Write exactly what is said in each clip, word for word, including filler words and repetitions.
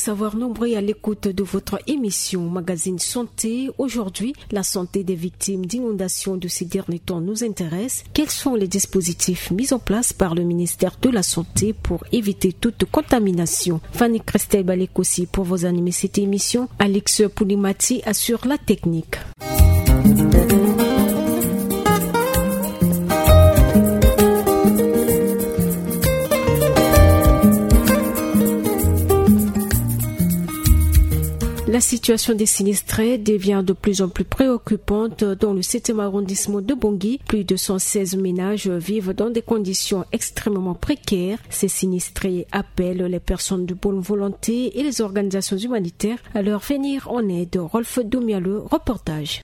Savoir nombreux à l'écoute de votre émission Magazine Santé. Aujourd'hui, la santé des victimes d'inondations de ces derniers temps nous intéresse. Quels sont les dispositifs mis en place par le ministère de la Santé pour éviter toute contamination ? Fanny Christelle Balekosi pour vous animer cette émission. Alex Poulimati assure la technique. La situation des sinistrés devient de plus en plus préoccupante dans le septième arrondissement de Bangui. Plus de cent seize ménages vivent dans des conditions extrêmement précaires. Ces sinistrés appellent les personnes de bonne volonté et les organisations humanitaires à leur venir en aide. Rolf Doumia, le reportage.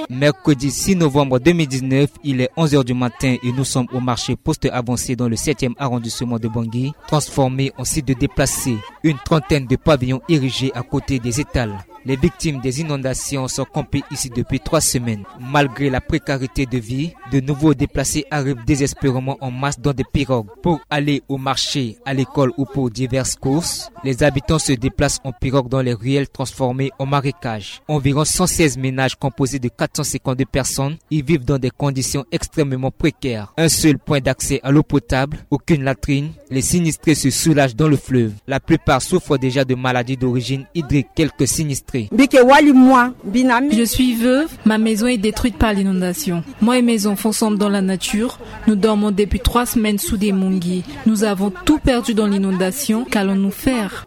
Mercredi six novembre deux mille dix-neuf, il est onze heures du matin et nous sommes au marché poste avancé dans le septième arrondissement de Bangui, transformé en site de déplacés. Une trentaine de pavillons érigés à côté des étals. Les victimes des inondations sont campées ici depuis trois semaines. Malgré la précarité de vie, de nouveaux déplacés arrivent désespérément en masse dans des pirogues pour aller au marché, à l'école ou pour diverses courses. Les habitants se déplacent en pirogue dans les ruelles transformées en marécages. Environ cent seize ménages composés de quatre cent cinquante-deux personnes y vivent dans des conditions extrêmement précaires. Un seul point d'accès à l'eau potable, aucune latrine. Les sinistrés se soulagent dans le fleuve. La plupart souffrent déjà de maladies d'origine hydrique. Quelques sinistrés. Je suis veuve, ma maison est détruite par l'inondation. Moi et mes enfants sommes dans la nature. Nous dormons depuis trois semaines sous des mungis. Nous avons tout perdu dans l'inondation. Qu'allons-nous faire ?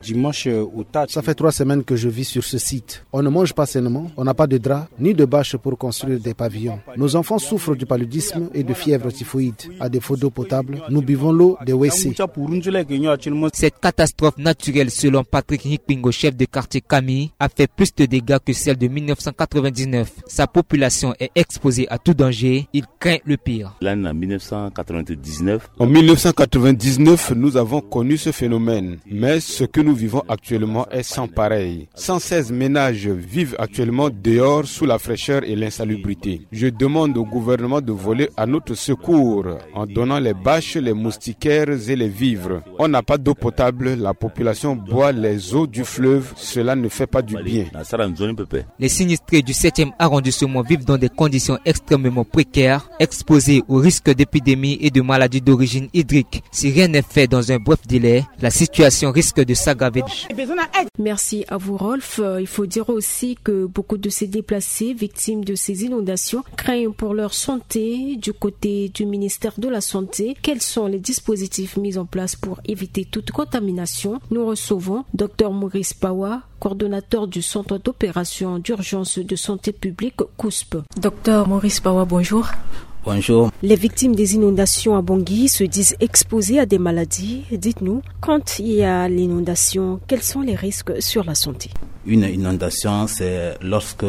Dimanche, euh, au Tchad. Ça fait trois semaines que je vis sur ce site. On ne mange pas sainement, on n'a pas de drap, ni de bâche pour construire des pavillons. Nos enfants souffrent du paludisme et de fièvre typhoïde. À défaut d'eau potable, nous buvons l'eau des W C. Cette catastrophe naturelle, selon Patrick Nikpingo, chef de quartier Kami, a fait plus de dégâts que celle de mille neuf cent quatre-vingt-dix-neuf. Sa population est exposée à tout danger. Il craint le pire. L'année en mille neuf cent quatre-vingt-dix-neuf. En mille neuf cent quatre-vingt-dix-neuf, nous avons connu ce phénomène. Mais ce que nous vivons actuellement est sans pareil. Cent seize ménages vivent actuellement dehors sous la fraîcheur et l'insalubrité. Je demande au gouvernement de voler à notre secours en donnant les bâches, les moustiquaires et les vivres. On n'a pas d'eau potable, la population boit les eaux du fleuve, cela ne fait pas du bien. Les sinistrés du septième arrondissement vivent dans des conditions extrêmement précaires, exposés au risque d'épidémie et de maladies d'origine hydrique. Si rien n'est fait dans un bref délai, la situation risque de s'aggraver. Merci à vous, Rolf. Euh, il faut dire aussi que beaucoup de ces déplacés victimes de ces inondations craignent pour leur santé. Du côté du ministère de la Santé, quels sont les dispositifs mis en place pour éviter toute contamination ? Nous recevons Dr Maurice Pawa, coordonnateur du Centre d'opération d'urgence de santé publique, COUSP. Dr Maurice Pawa, bonjour. Bonjour. Les victimes des inondations à Bangui se disent exposées à des maladies. Dites-nous, quand il y a l'inondation, quels sont les risques sur la santé ? Une inondation, c'est lorsque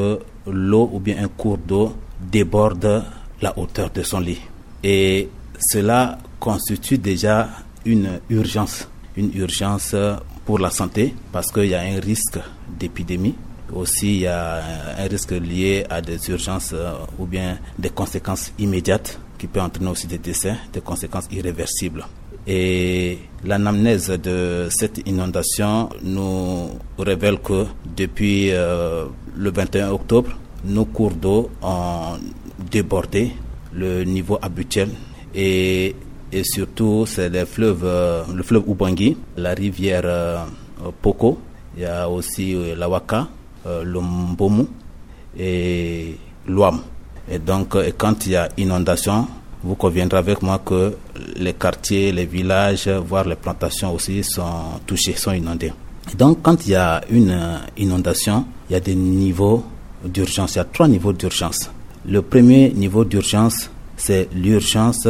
l'eau ou bien un cours d'eau déborde la hauteur de son lit. Et cela constitue déjà une urgence, une urgence pour la santé, parce qu'il y a un risque d'épidémie. Aussi, il y a un risque lié à des urgences, euh, ou bien des conséquences immédiates qui peut entraîner aussi des décès, des conséquences irréversibles. Et l'anamnèse de cette inondation nous révèle que depuis, euh, le vingt et un octobre, nos cours d'eau ont débordé le niveau habituel et, et surtout, c'est les fleuves, euh, le fleuve Oubangui, la rivière, euh, Poko, il y a aussi, euh, la Waka, euh, le Mbomu et l'Ouam. Et donc, euh, quand il y a inondation, vous conviendrez avec moi que les quartiers, les villages, voire les plantations aussi sont touchés, sont inondés. Et donc, quand il y a une, euh, inondation, il y a des niveaux d'urgence. Il y a trois niveaux d'urgence. Le premier niveau d'urgence, c'est l'urgence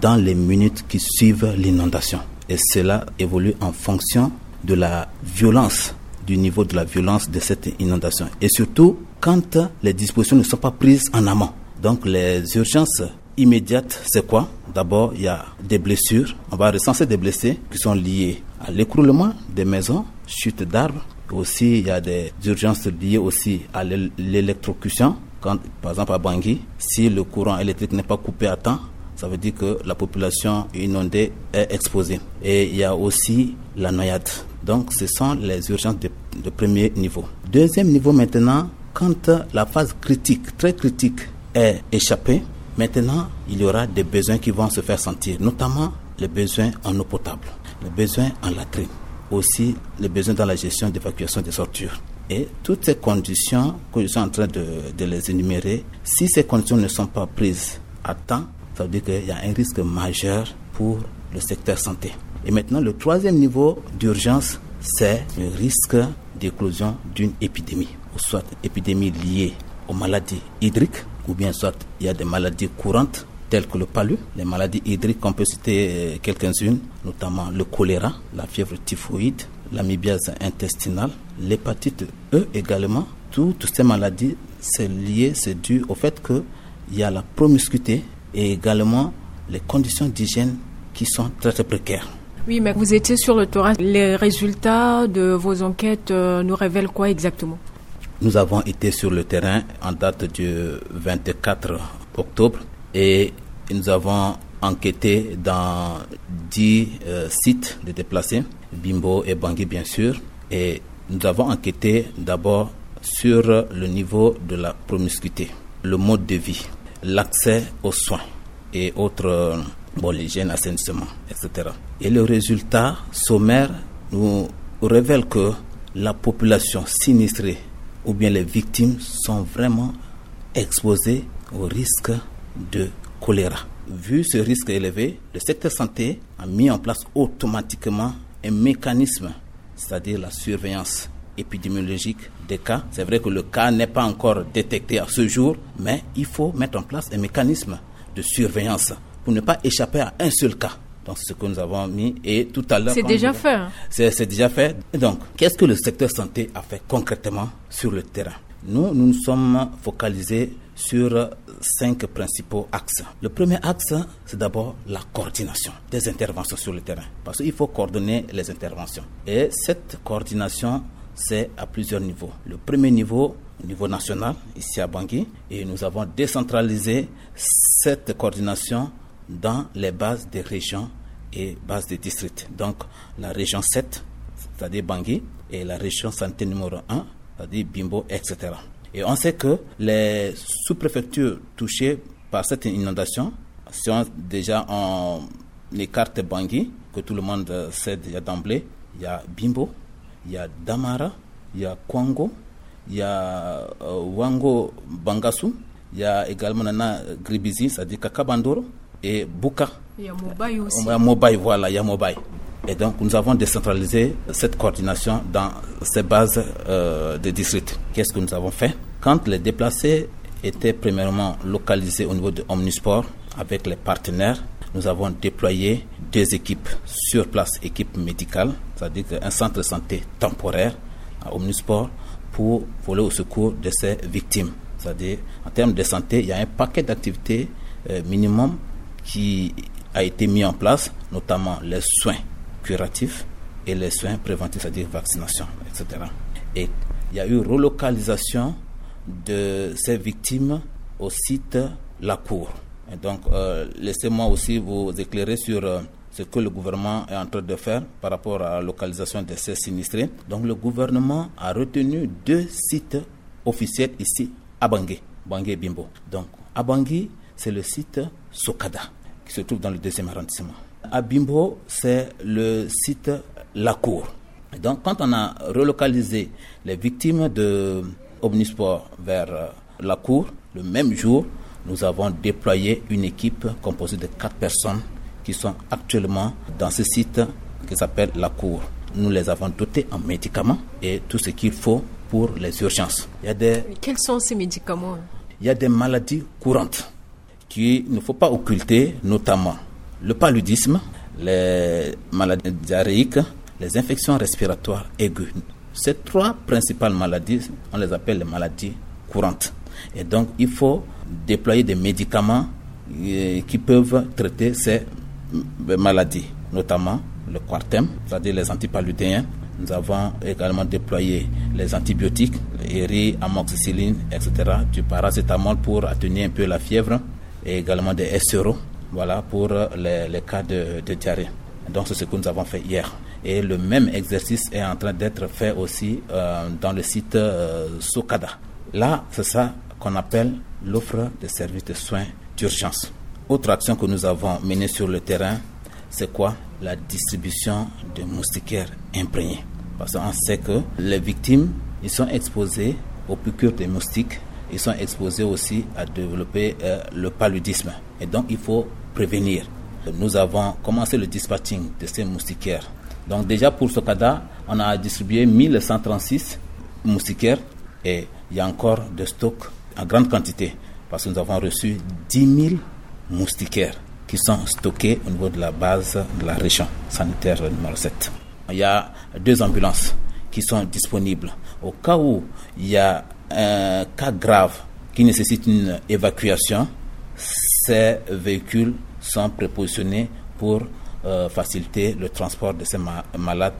dans les minutes qui suivent l'inondation. Et cela évolue en fonction de la violence, du niveau de la violence de cette inondation. Et surtout, quand les dispositions ne sont pas prises en amont. Donc, les urgences immédiates, c'est quoi ? D'abord, il y a des blessures. On va recenser des blessés qui sont liés à l'écroulement des maisons, chute d'arbres. Aussi, il y a des urgences liées aussi à l'é-, l'électrocution. Quand, par exemple, à Bangui, si le courant électrique n'est pas coupé à temps, Ça veut dire que la population inondée est exposée. Et il y a aussi la noyade. Donc, ce sont les urgences de, de premier niveau. Deuxième niveau maintenant, quand la phase critique, très critique, est échappée, maintenant, il y aura des besoins qui vont se faire sentir, notamment les besoins en eau potable, les besoins en latrine, aussi les besoins dans la gestion d'évacuation des ordures. Et toutes ces conditions que je suis en train de, de les énumérer, si ces conditions ne sont pas prises à temps, ça veut dire qu'il y a un risque majeur pour le secteur santé. Et maintenant, le troisième niveau d'urgence, c'est le risque d'éclosion d'une épidémie, ou soit épidémie liée aux maladies hydriques, ou bien soit il y a des maladies courantes telles que le palu, les maladies hydriques, on peut citer quelques-unes, notamment le choléra, la fièvre typhoïde, l'amibiase intestinale, l'hépatite E également. Toutes ces maladies, c'est lié, c'est dû au fait que il y a la promiscuité et également les conditions d'hygiène qui sont très, très précaires. Oui, mais vous étiez sur le terrain. Les résultats de vos enquêtes, euh, nous révèlent quoi exactement ? Nous avons été sur le terrain en date du vingt-quatre octobre et nous avons enquêté dans dix, euh, sites de déplacés, Bimbo et Bangui bien sûr, et nous avons enquêté d'abord sur le niveau de la promiscuité, le mode de vie, l'accès aux soins et autres, euh, bon, l'hygiène, assainissement, et cetera. Et le résultat sommaire nous révèle que la population sinistrée ou bien les victimes sont vraiment exposées au risque de choléra. Vu ce risque élevé, le secteur santé a mis en place automatiquement un mécanisme, c'est-à-dire la surveillance épidémiologique des cas. C'est vrai que le cas n'est pas encore détecté à ce jour, mais il faut mettre en place un mécanisme de surveillance pour ne pas échapper à un seul cas. Donc, c'est ce que nous avons mis et tout à l'heure... C'est quand déjà je fait, hein. C'est, c'est déjà fait. Et donc, qu'est-ce que le secteur santé a fait concrètement sur le terrain ? Nous, nous nous sommes focalisés sur cinq principaux axes. Le premier axe, c'est d'abord la coordination des interventions sur le terrain. Parce qu'il faut coordonner les interventions. Et cette coordination, c'est à plusieurs niveaux. Le premier niveau, au niveau national, ici à Bangui, et nous avons décentralisé cette coordination dans les bases des régions et bases des districts. Donc, la région sept, c'est-à-dire Bangui, et la région santé numéro un, c'est-à-dire Bimbo, et cetera. Et on sait que les sous-préfectures touchées par cette inondation sont déjà en écarte Bangui, que tout le monde sait déjà d'emblée. Il y a Bimbo, il y a Damara, il y a Kwango, il y a, euh, Wango Bangassou, il y a également Nana Gribizi, c'est-à-dire Kakabandoro, et Bouka. Il y a Mobaye aussi. Il y a Mobaye, voilà, il y a Mobaye. Et donc, nous avons décentralisé cette coordination dans ces bases, euh, de districts. Qu'est-ce que nous avons fait ? Quand les déplacés étaient premièrement localisés au niveau de Omnisport avec les partenaires, nous avons déployé deux équipes sur place, équipe médicale, c'est-à-dire un centre de santé temporaire à Omnisport pour voler au secours de ces victimes. C'est-à-dire, en termes de santé, il y a un paquet d'activités, euh, minimum qui a été mis en place, notamment les soins curatifs et les soins préventifs, c'est-à-dire vaccination, et cetera. Et il y a eu relocalisation de ces victimes au site La Cour. Et donc, euh, laissez-moi aussi vous éclairer sur, euh, ce que le gouvernement est en train de faire par rapport à la localisation de ces sinistrés. Donc, le gouvernement a retenu deux sites officiels ici à Bangui, Bangui et Bimbo. Donc, à Bangui, c'est le site Sokada, qui se trouve dans le deuxième arrondissement. À Bimbo, c'est le site La Cour. Donc, quand on a relocalisé les victimes de Omnisport vers, euh, La Cour, le même jour, nous avons déployé une équipe composée de quatre personnes qui sont actuellement dans ce site qui s'appelle La Cour. Nous les avons dotés en médicaments et tout ce qu'il faut pour les urgences. Il y a des... Quels sont ces médicaments ? Il y a des maladies courantes qu'il ne faut pas occulter, notamment le paludisme, les maladies diarrhéiques, les infections respiratoires aiguës. Ces trois principales maladies, on les appelle les maladies courantes. Et donc, il faut déployer des médicaments, euh, qui peuvent traiter ces, euh, maladies, notamment le Coartem, c'est-à-dire les antipaludéens. Nous avons également déployé les antibiotiques, Eri, amoxicilline, et cetera, du paracétamol pour atténuer un peu la fièvre, et également des S R O. Voilà pour les, les cas de, de diarrhée. Donc c'est ce que nous avons fait hier. Et le même exercice est en train d'être fait aussi euh, dans le site euh, Sokada. Là, c'est ça qu'on appelle l'offre de services de soins d'urgence. Autre action que nous avons menée sur le terrain, c'est quoi? La distribution de moustiquaires imprégnés. Parce qu'on sait que les victimes, ils sont exposés aux piqûres des moustiques, ils sont exposés aussi à développer euh, le paludisme. Et donc, il faut prévenir. Nous avons commencé le dispatching de ces moustiquaires. Donc déjà pour Sokada, on a distribué mille cent trente-six moustiquaires et il y a encore de stock en grande quantité parce que nous avons reçu dix mille moustiquaires qui sont stockés au niveau de la base de la région sanitaire numéro sept. Il y a deux ambulances qui sont disponibles. Au cas où il y a un cas grave qui nécessite une évacuation, ces véhicules sont prépositionnés pour euh, faciliter le transport de ces ma- malades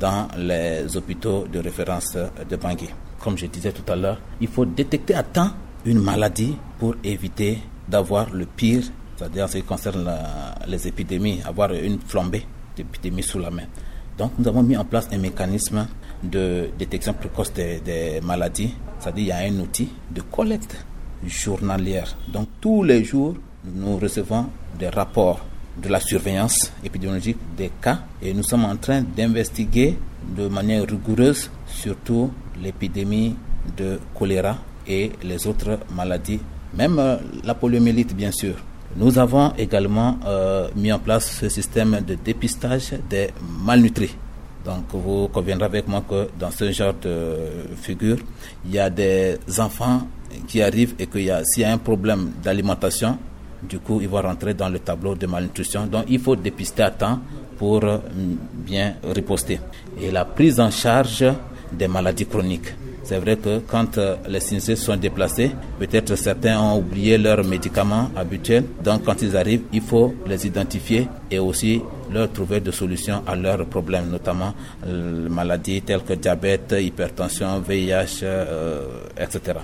dans les hôpitaux de référence de Bangui. Comme je disais tout à l'heure, il faut détecter à temps une maladie pour éviter d'avoir le pire, c'est-à-dire en ce qui concerne la- les épidémies, avoir une flambée d'épidémies sous la main. Donc nous avons mis en place un mécanisme de détection précoce des, des maladies, c'est-à-dire il y a un outil de collecte journalière. Donc tous les jours, nous recevons des rapports de la surveillance épidémiologique des cas et nous sommes en train d'investiguer de manière rigoureuse surtout l'épidémie de choléra et les autres maladies, même euh, la poliomyélite bien sûr. Nous avons également euh, mis en place ce système de dépistage des malnutris. Donc vous conviendrez avec moi que dans ce genre de figure, il y a des enfants qui arrivent et qu'il y a, s'il y a un problème d'alimentation, du coup, ils vont rentrer dans le tableau de malnutrition. Donc il faut dépister à temps pour euh, bien riposter. Et la prise en charge des maladies chroniques. C'est vrai que quand euh, les sinistrés sont déplacés, peut-être certains ont oublié leurs médicaments habituels. Donc quand ils arrivent, il faut les identifier et aussi leur trouver des solutions à leurs problèmes, notamment euh, maladies telles que diabète, hypertension, V I H, euh, et cetera.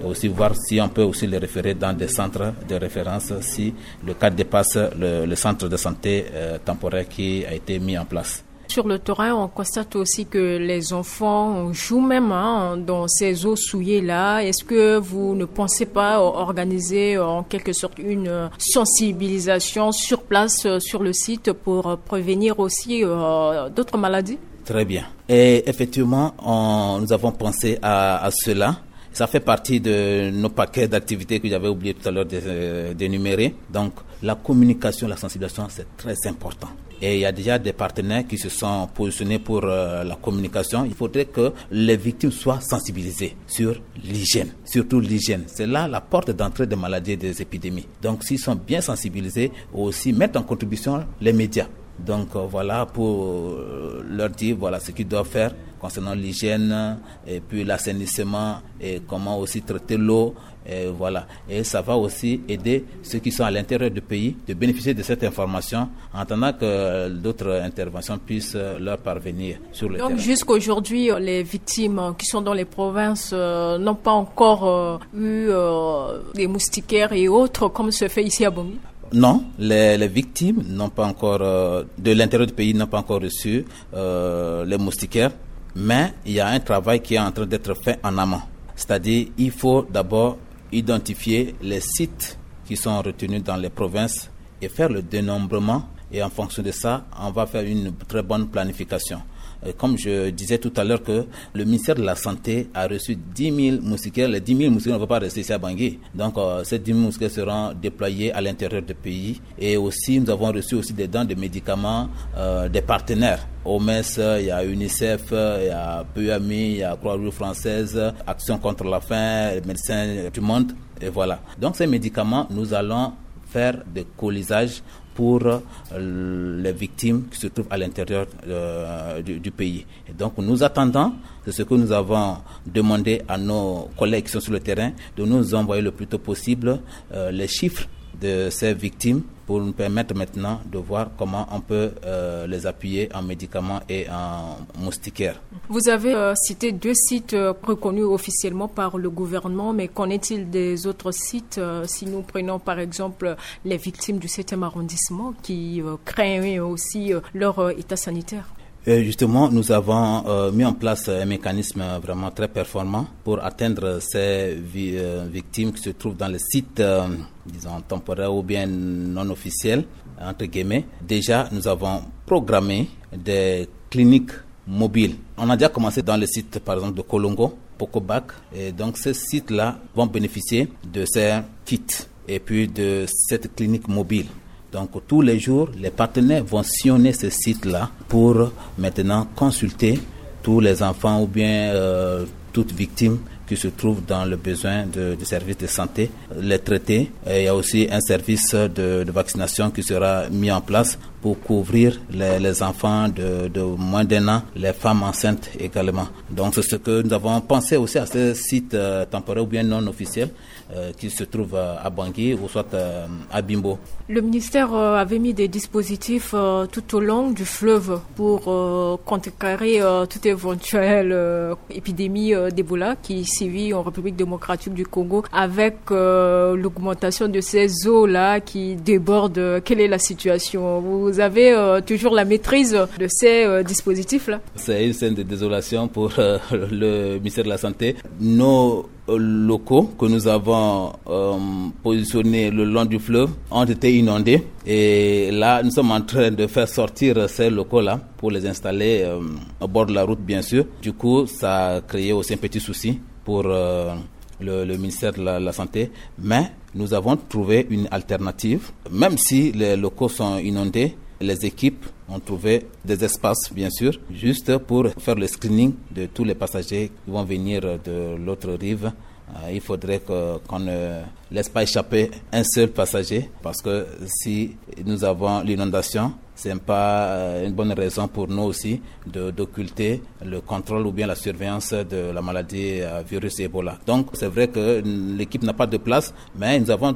Et aussi voir si on peut aussi les référer dans des centres de référence si le cas dépasse le, le centre de santé euh, temporaire qui a été mis en place. Sur le terrain, on constate aussi que les enfants jouent même hein, dans ces eaux souillées là. Est-ce que vous ne pensez pas organiser en quelque sorte une sensibilisation sur place, sur le site, pour prévenir aussi euh, d'autres maladies ? Très bien. Et effectivement, on- nous avons pensé à, à cela. Ça fait partie de nos paquets d'activités que j'avais oublié tout à l'heure de- d'énumérer. Donc, la communication, la sensibilisation, c'est très important. Et il y a déjà des partenaires qui se sont positionnés pour euh, la communication. Il faudrait que les victimes soient sensibilisées sur l'hygiène, surtout l'hygiène. C'est là la porte d'entrée des maladies et des épidémies. Donc, s'ils sont bien sensibilisés, aussi mettre en contribution les médias. Donc euh, voilà, pour euh, leur dire voilà ce qu'ils doivent faire concernant l'hygiène et puis l'assainissement et comment aussi traiter l'eau. Et voilà. Et ça va aussi aider ceux qui sont à l'intérieur du pays de bénéficier de cette information en attendant que d'autres interventions puissent euh, leur parvenir sur le Donc terrain. Jusqu'aujourd'hui, euh, les victimes euh, qui sont dans les provinces euh, n'ont pas encore euh, eu euh, des moustiquaires et autres comme se fait ici à Bangui ? Non, les, les victimes n'ont pas encore, euh, de l'intérieur du pays, n'ont pas encore reçu euh, les moustiquaires, mais il y a un travail qui est en train d'être fait en amont. C'est-à-dire, il faut d'abord identifier les sites qui sont retenus dans les provinces et faire le dénombrement. Et en fonction de ça, on va faire une très bonne planification. Et comme je disais tout à l'heure que le ministère de la Santé a reçu dix mille moustiquaires. Les dix mille moustiquaires ne vont pas rester ici à Bangui. Donc, euh, ces dix mille moustiquaires seront déployés à l'intérieur du pays. Et aussi, nous avons reçu aussi des dons de médicaments euh, des partenaires. O M S, il y a UNICEF, il y a P U M I, il y a Croix-Rouge française, Action contre la faim, Médecins du Monde. Et voilà. Donc, ces médicaments, nous allons faire des colisages pour euh, les victimes qui se trouvent à l'intérieur euh, du, du pays. Et donc, nous attendons, c'est ce que nous avons demandé à nos collègues qui sont sur le terrain, de nous envoyer le plus tôt possible euh, les chiffres de ces victimes pour nous permettre maintenant de voir comment on peut euh, les appuyer en médicaments et en moustiquaires. Vous avez euh, cité deux sites euh, reconnus officiellement par le gouvernement, mais qu'en est-il des autres sites ? Euh, si nous prenons par exemple les victimes du septième arrondissement qui euh, craignent aussi euh, leur euh, état sanitaire. Et justement, nous avons euh, mis en place un mécanisme vraiment très performant pour atteindre ces vi- euh, victimes qui se trouvent dans les sites, euh, disons, temporaires ou bien non officiels, entre guillemets. Déjà, nous avons programmé des cliniques mobiles. On a déjà commencé dans le site, par exemple, de Kolongo, Pokobak. Et donc, ces sites-là vont bénéficier de ces kits et puis de cette clinique mobile. Donc, tous les jours, les partenaires vont sillonner ce site-là pour maintenant consulter tous les enfants ou bien euh, toute victime qui se trouve dans le besoin de, de services de santé, les traiter. Et il y a aussi un service de, de vaccination qui sera mis en place pour couvrir les, les enfants de, de moins d'un an, les femmes enceintes également. Donc, c'est ce que nous avons pensé aussi à ce site euh, temporaire ou bien non officiel euh, qui se trouve euh, à Bangui ou soit euh, à Bimbo. Le ministère euh, avait mis des dispositifs euh, tout au long du fleuve pour euh, contrecarrer euh, toute éventuelle euh, épidémie euh, d'Ebola qui sévit en République démocratique du Congo avec euh, l'augmentation de ces eaux-là qui débordent. Quelle est la situation ? Vous avez euh, toujours la maîtrise de ces euh, dispositifs-là ? C'est une scène de désolation pour euh, le ministère de la Santé. Nos locaux que nous avons euh, positionnés le long du fleuve ont été inondés. Et là, nous sommes en train de faire sortir ces locaux-là pour les installer euh, au bord de la route, bien sûr. Du coup, ça a créé aussi un petit souci pour euh, le, le ministère de la, la Santé. Mais nous avons trouvé une alternative. Même si les locaux sont inondés, les équipes ont trouvé des espaces, bien sûr, juste pour faire le screening de tous les passagers qui vont venir de l'autre rive. Euh, il faudrait que, qu'on ne laisse pas échapper un seul passager parce que si nous avons l'inondation, ce n'est pas euh, une bonne raison pour nous aussi de, d'occulter le contrôle ou bien la surveillance de la maladie euh, virus Ebola. Donc, c'est vrai que l'équipe n'a pas de place, mais nous avons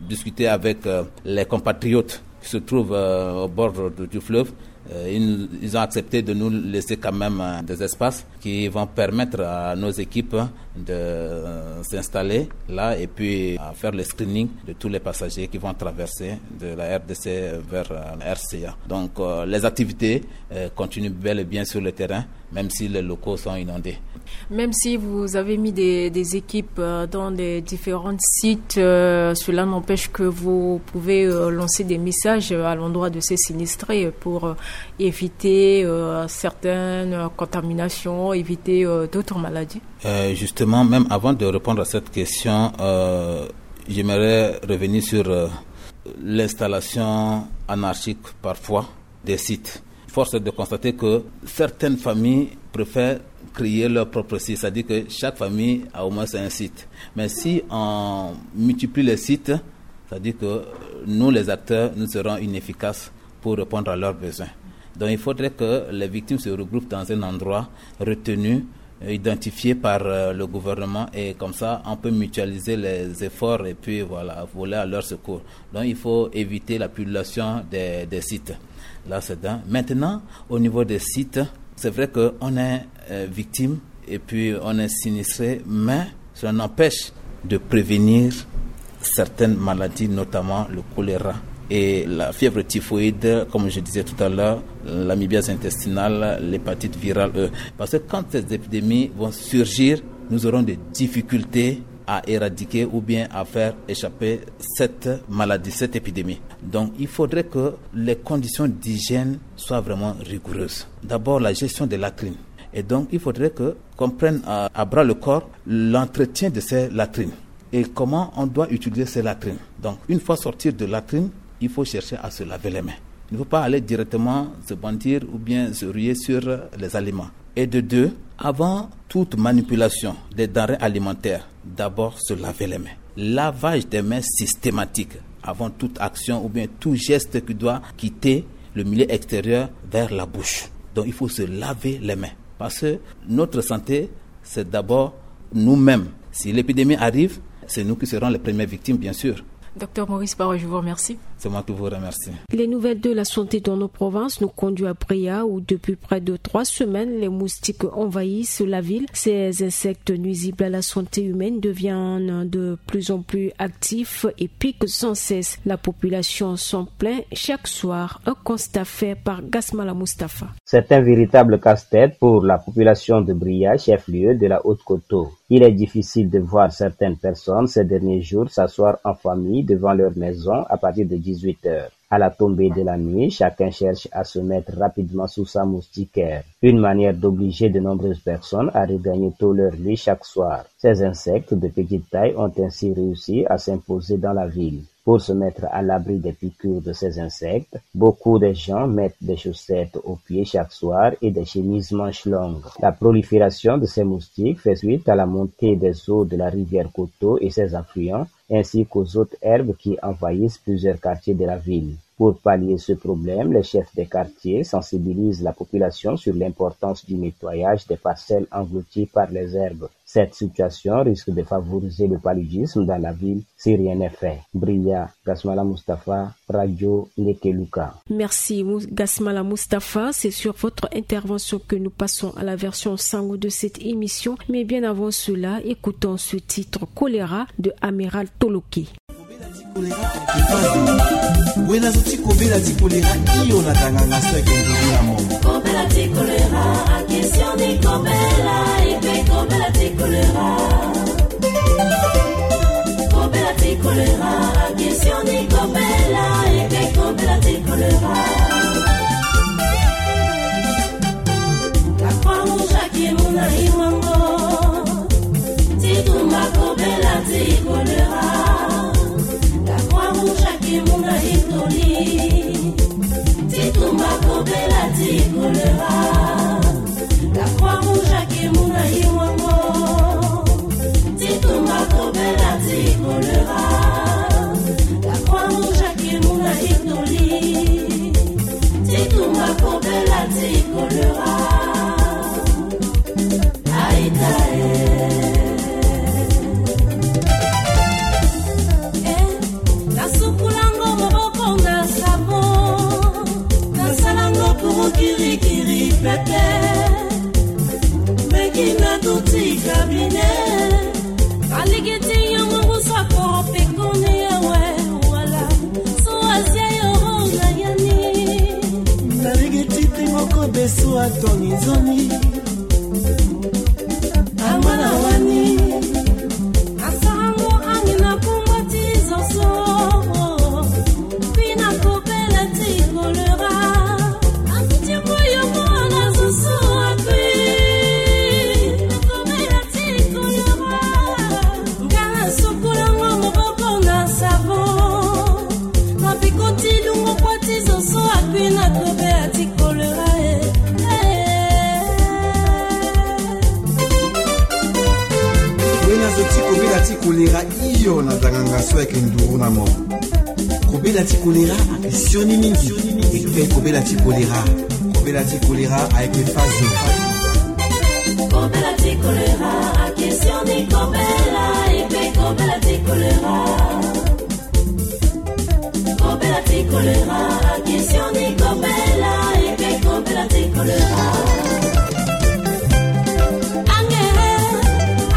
discuté avec euh, les compatriotes qui se trouvent euh, au bord du, du fleuve. Euh, ils, ils ont accepté de nous laisser quand même euh, des espaces qui vont permettre à nos équipes de euh, s'installer là et puis à faire le screening de tous les passagers qui vont traverser de la R D C vers euh, R C A. Donc euh, les activités euh, continuent bel et bien sur le terrain, même si les locaux sont inondés. Même si vous avez mis des, des équipes euh, dans les différents sites, euh, cela n'empêche que vous pouvez euh, lancer des messages à l'endroit de ces sinistrés pour euh, éviter euh, certaines contaminations, éviter euh, d'autres maladies. Euh, justement, même avant de répondre à cette question, euh, j'aimerais revenir sur euh, l'installation anarchique parfois des sites. Force est de constater que certaines familles préfèrent créer leur propre site, c'est-à-dire que chaque famille a au moins un site. Mais si on multiplie les sites, c'est-à-dire que nous, les acteurs, nous serons inefficaces pour répondre à leurs besoins. Donc il faudrait que les victimes se regroupent dans un endroit retenu, identifié par euh, le gouvernement, et comme ça, on peut mutualiser les efforts et puis voilà, voler à leur secours. Donc il faut éviter la pullulation des, des sites. Là, c'est d'un. Maintenant, au niveau des sites, c'est vrai qu'on est euh, victime et puis on est sinistré, mais cela n'empêche de prévenir certaines maladies, notamment le choléra et la fièvre typhoïde, comme je disais tout à l'heure, l'amibiase intestinale, l'hépatite virale E. Parce que quand ces épidémies vont surgir, nous aurons des difficultés à éradiquer ou bien à faire échapper cette maladie, cette épidémie. Donc, il faudrait que les conditions d'hygiène soient vraiment rigoureuses. D'abord, la gestion des latrines. Et donc, il faudrait que qu'on prenne à, à bras le corps l'entretien de ces latrines et comment on doit utiliser ces latrines. Donc, une fois sorti de latrine, il faut chercher à se laver les mains. Il ne faut pas aller directement se brandir ou bien se ruer sur les aliments. Et de deux, avant toute manipulation des denrées alimentaires, d'abord se laver les mains. Lavage des mains systématique avant toute action ou bien tout geste qui doit quitter le milieu extérieur vers la bouche. Donc, il faut se laver les mains. Parce que notre santé, c'est d'abord nous-mêmes. Si l'épidémie arrive, c'est nous qui serons les premières victimes, bien sûr. Docteur Maurice Barro, je vous remercie. C'est moi qui vous remercie. Les nouvelles de la santé dans nos provinces nous conduit à Bria, où depuis près de trois semaines, les moustiques envahissent la ville. Ces insectes nuisibles à la santé humaine deviennent de plus en plus actifs et piquent sans cesse. La population s'en plaint chaque soir. Un constat fait par Gasmala Mustapha. C'est un véritable casse-tête pour la population de Bria, chef-lieu de la Haute-Koto. Il est difficile de voir certaines personnes ces derniers jours s'asseoir en famille devant leur maison à partir de dix-huit heures. À la tombée de la nuit, chacun cherche à se mettre rapidement sous sa moustiquaire. Une manière d'obliger de nombreuses personnes à regagner tôt leur lit chaque soir. Ces insectes de petite taille ont ainsi réussi à s'imposer dans la ville. Pour se mettre à l'abri des piqûres de ces insectes, beaucoup de gens mettent des chaussettes aux pieds chaque soir et des chemises manches longues. La prolifération de ces moustiques fait suite à la montée des eaux de la rivière Koto et ses affluents, ainsi qu'aux autres herbes qui envahissent plusieurs quartiers de la ville. Pour pallier ce problème, les chefs des quartiers sensibilisent la population sur l'importance du nettoyage des parcelles englouties par les herbes. Cette situation risque de favoriser le paludisme dans la ville si rien n'est fait. Bria, Gasmala Mustapha, Radio Nekeluka. Merci, Mou-, Gasmala Mustapha. C'est sur votre intervention que nous passons à la version sango de cette émission. Mais bien avant cela, écoutons ce titre, Choléra, de Amiral Toloké. Kobela ti kolera, wena zo ti kobela ti kolera, iyo na tanganga so eke nduru na mo. Kobela ti kolera, akisioni kobela, ipe kobela ti kolera. Kobela ti kolera, akisioni kobela, ipe kobela ti kolera. La Croix-Rouge akimuna iwango. Ti tumba kobela ti kolera. La Croix-Rouge akimuna itoli. Ti tumba kobela ti kolera. La Croix-Rouge akimuna iwango. Ti tumba kobela ti kolera. La Croix-Rouge akimuna itoli. Ti tumba kobela ti kolera. Aita e. Eh, nasukulango maboko na savo. Nasalango puru kirikiri pepe. Meki na duti kabine. Aligiti yo mungu sa koro pekoni ewe wala. So asia yo ho na yani. Naligiti ti moko beso atoni zoni. Amana wani. Asarango angi na kumba ti zoso. Kui na kobela ti kolera. Akuti moyo mwana zoso akui. Kobela ti kolera. Nga na sukulango maboko na savo. Mapikoti lungo kua ti zoso akui na kobela ti kolera e. Eh. Wena zo ti kobela ti kolera iyo na tanganga so eke nduru na mo. Kobela ti kolera ake sioni mingi. Eke kobela ti kolera. Kobela ti kolera ayeke fazo. Kobela ti kolera ake sioni kobela, eke kobela ti kolera. Kobela ti kolera, akisioni kobela, eke kobela ti kolera. Ange,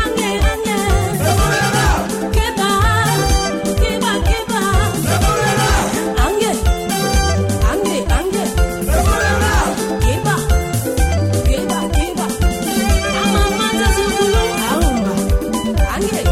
ange, ange. Keba, keba, keba. Ange, ange, ange. Keba, keba, keba. Amama ta zukulu, aumba. Ange.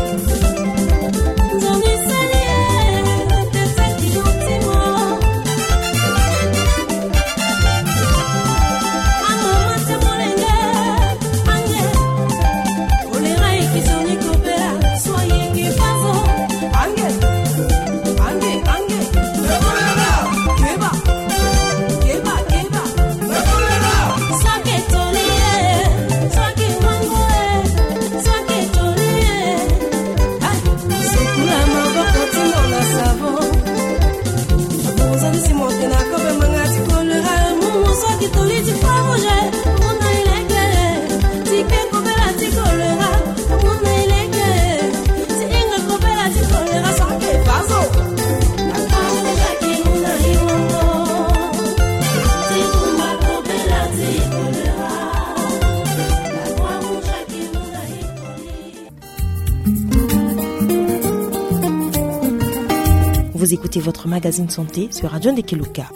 Vous écoutez votre magazine santé sur Radio Ndekeluka.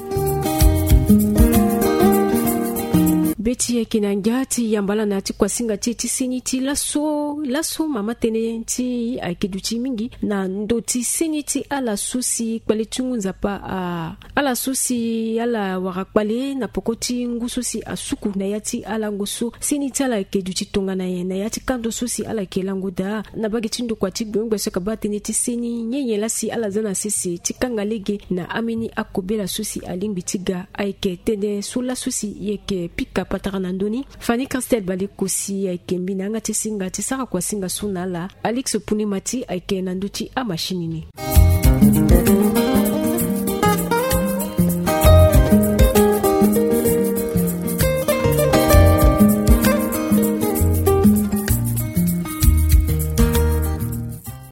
Be ti yeke na ngia ti yamba ala na ya ti kuasinga ti e ti seni ti laso. Laso mama tënë ti e ayeke duti mingi na ndö ti seni ti ala so si kpale ti ngu nzapa a ala so si ala wara kpale na poko ti ngu so si asuku na ya ti alango so seni ti ala ayeke duti tongana nyen na ya ti kando so si ala yeke lango daa. Na mbage ti ndokua ti gbeongbe so ayeke baa tënë ti seni nyen nyen laa si ala za na sese ti kanga lege na ambeni akobela so si alingbi ti ga ayeke tënë so laso si e yeke pika patara na ndö ni. Fanny Christelle Balekosi ayeke mbi na yanga ti singa ti sara kuasinga so na ala. Alix Punimati ayeke na ndö ti amashini ni.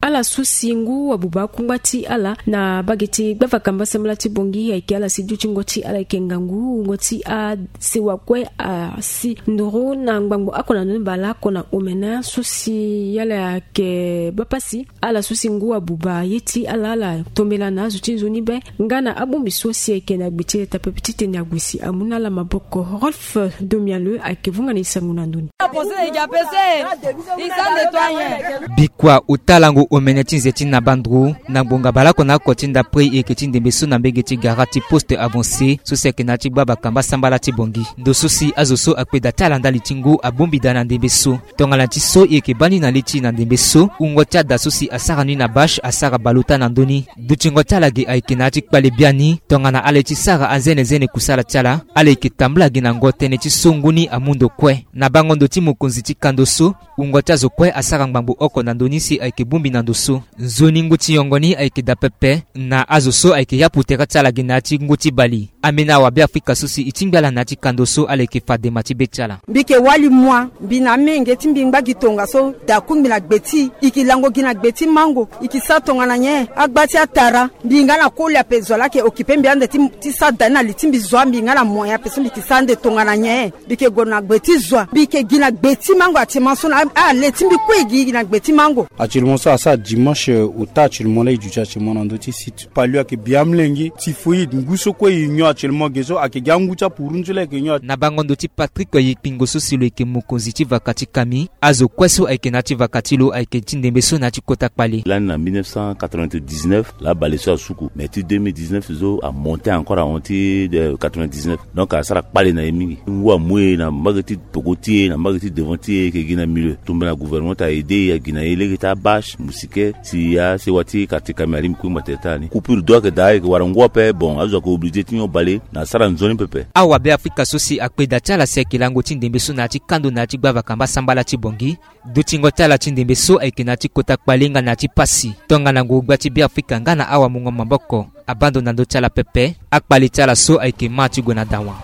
Ala so si ngu abuba akungba ti ala na mbage ti gbavaka mbasambala ti Bangui ayeke ala si dutingo ti ala ayeke ngangu wungo ti asewa kue asi nduru na ngbangbo oko na ndoni baleoko na omene so si ala ayeke baa pasi. Ala so si ngu abuba ye ti ala ala tombela na azo ti nzoni be nga na abongbi so si ayeke na gbe ti leta pepe titene ague si amu na ala maboko. Rolf Domiale ayeke vunga na e sango na ndö ni. Bikua ota lango omene ti nze ti na banduru na ngbonga baleoko na oko ti ndapre e yeke ti ndembe so na mbege ti gara ti poste avancé so si ayeke na ya ti gbavaka mbasambala ti Bangui. Ndo so si azo so akpe daa ti ala ndali ti ngu abongbi daa na ndembe so. Tongana ti so e yeke baa ni na li ti e na ndembe so wungo ti ada so si asara ni na bâche asara baleota na ndö ni. Dutingo ti ala ge ayeke na ya ti kpale biani tongana ala ye ti sara anzenenzene kusala ti ala. Ala yeke tambula gi na ngo tënë ti so ngu ni amu ndo kue na bango ndo ti mokonzi ti kando so. Wungo ti azo kue asara ngbangbo oko na ndö ni si ayeke bongbi na ndo so. Nzoni ngu ti yongo ni ayeke daa pepe na azo so ayeke yapu tere ti ala gi na ya ti ngu ti bali. Ambeni awabe afrika so si e tingbi ala na ya ti kando so ala yeke fa dema ti be ti ala. Mbi yeke wali mua mbi na amenge ti mbi ngba gi tongaso. Da kungbi na gbe ti e yeke lango gi na gbe ti mango. E yeke sara tongana nyen agba ti atara. Mbi nga na koli ape zo laa ayeke okipe mbi ande ti ti sara da ni na li ti mbi zo mbi nga na moyen ape so mbi yeke sara ande tongana nyen. Mbi yeke gue na gbe ti zo mbi yeke gi na gbe ti mango actuellement so na ale ti mbi kue e gi na gbe ti mango. Actuellement so asara dimanche ota actuellement laa e duti actuellement na ndö ti site. Palio ayeke bi amolenge typhoïde ngu so kue e nyon actuellement ge so ayeke gi angu ti apurunzu laa ayeke nyon. Na bango ndo ti Patrick Yekpingo so si lo yeke mokonzi ti vaka ti kami. Azo kue so ayeke na ya ti vaka ti lo ayeke ti ndembe so na ya ti kota kpale. Lani na mille neuf cent quatre-vingt-dix-neuf laa bale so asuku mais ti deux mille dix-neuf so amonte encore ahon ti quatre-vingt-dix-neuf. Donc asara kpale na e mingi ngu amu e na mbage ti poko ti e na mbage ti devant ti e yeke gi na milieu. Tombela gouvernement ti aide e agi na e lege ti abâche musike si asewa ti quartier kami alingbi kue ngba tere ti ala ni coupure d'eau ayeke daa ayeke wara ngu ape bon azo ayeke oblige ti nyon bale na asara nzoni pepe. Awabe afrika so si akpe daa ti ala si ayeke lango ti ndembe so na ya ti kando na ya ti gbavaka mbasambala ti Bangui. Dutingo ti ala ti ndembe so ayeke na ya ti kota kpale nga na ya ti pasi. Tongana ngu gba ti Beafrika nga na awamungo maboko abaa ndo na ndö ti ala pepe. Akpale ti ala so ayeke ma ti gue na dawa.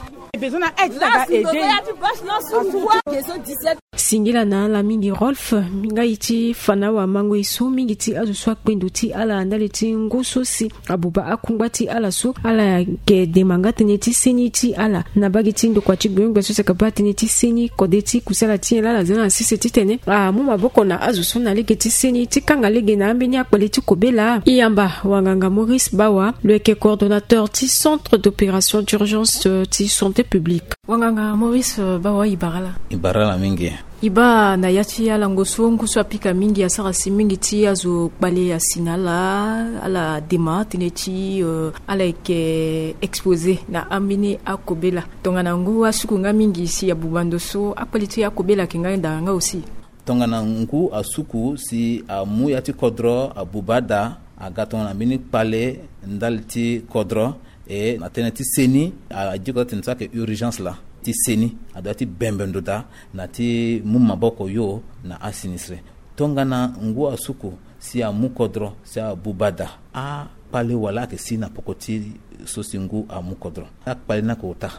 Singila na ala mingi Rolf. Nga ye ti fa na awamango ye so mingi ti azo so akpe ndo ti ala ndali ti ngu so si abuba akungba ti ala so ala yeke dema nga tënë ti seni ti ala na mbage ti ndokua ti gbeongbe so si ayeke baa tënë ti seni kode ti kusala ti nyen laa ala za na sese titene amu maboko na azo so na lege ti seni ti kanga lege na ambeni akpale ti kobela. E yamba wanganga Maurice Bawa lo yeke coordonnateur ti centre d'opération d'urgence ti santé publique. Wanganga Maurice Bawa e bara ala. E bara ala mingi. E baa na ya ti alango so ngu so apika mingi asara si mingi ti azo kpale asi na ala ala dema tënë ti ala yeke expose na ambeni akobela. Tongana ngu asuku nga mingi si abuba ndo so akpale ti akobela ayeke nga daa nga aussi. Tongana ngu asuku si amu ya ti kodro abuba ada aga tongana mbeni kpale ndali ti kodro. E na tënë ti seni adiko atene so ayeke urgence laa ti seni adoit ti bembe ndo daa na ti mu maboko yo na asinistre. Tongana ngu asuku si amu kodro si abuba daa akpale wala ayeke si na poko ti so si ngu amu kodro. Akpale ni ayeke ota.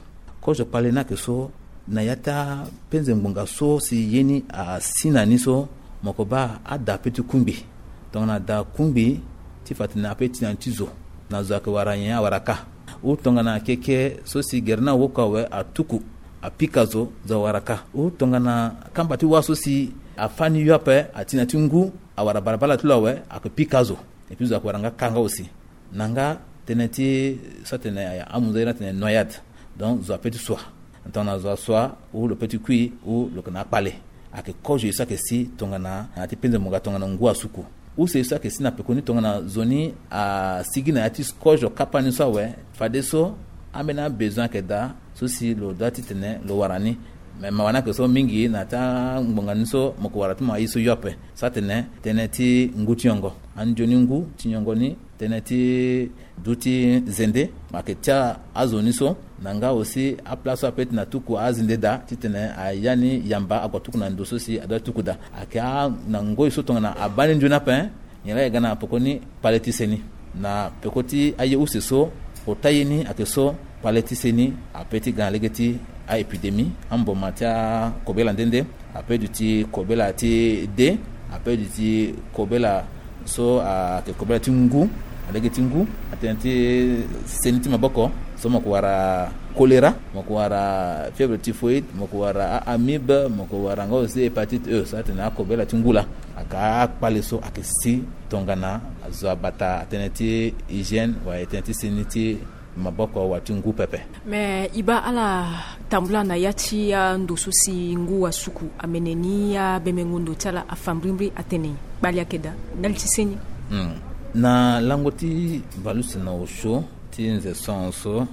Kozo kpale ni ayeke so na ya ti apenze ngbonga so si ye ni asi na ni so mo yeke baa ada ape ti kungbi. Tongana ada kungbi ti fa tene ape ti na ni ti zo na zo ayeke wara nyen awara kâ. Ou tongana keke so si gere ni awoko awe atuku apika zo zo awara kâ. Ou tongana kamba ti wâ so si afâ ni yo ape ati na ti ngu awara balabala ti lo awe ayeke pika zo. Epui zo ayeke wara nga kâ nga aussi. Na nga tënë ti so atene amunzu airi atene noyade. Donc zo ape ti sua. Tongana zo asua ou lo pe ti kui ou lo yeke na akpale. Ayeke kozo ye so ayeke si tongana na ya ti penze mo ga tongana ngu asuku. Use ye so ayeke si na pekoni tongana zo ni asigi na ya ti kozo kapa ni so awe. Fadeso ambeni abesoin ayeke daa so si lo doit titene lo wara ni. Me mawa ni ayeke so mingi na ya ti angbonga ni so mo yeke wara ti mo aye so yo ape. So atene tënë ti ngu ti nyongo. Anzoni ngu ti nyongo ni tënë ti du ti zende. Ayeke tia azo ni so na nga aussi apla so ape ti na tuku azende daa titene aya ni yamba ague tuku na ndo so si adoit tuku daa. Ayeke a na ngoi so tongana abaa ni nzoni ape. Nyen laa e ga na peko ni kpale ti seni na peko ti aye use so. Ota ye ni ayeke so kpale ti seni ape ti ga na lege ti aépidémie, amboma ti akobela nde nde. Ape duti kobela ti de, ape duti kobela so ayeke kobela ti ngu. Na lege ti ngu atene ti seni ti maboko so mo yeke wara choléra, mo yeke wara fièvre typhoïde, mo yeke wara a-amibe, mo yeke wara nga aussi hépatite E. So atene akobela ti ngu laa. Ayeke akpale so ayeke si tongana azo abata atënë ti hygiène wala tënë ti seni ti maboko wala ti ngu pepe. Me e baa ala tambula na ya ti ando so si ngu asuku amene ni abembengo ndo ti ala afambirimbiri atene kpali ayeke daa ndali ti seni. Hmm. Na lango ti valusi na osio ti nze so so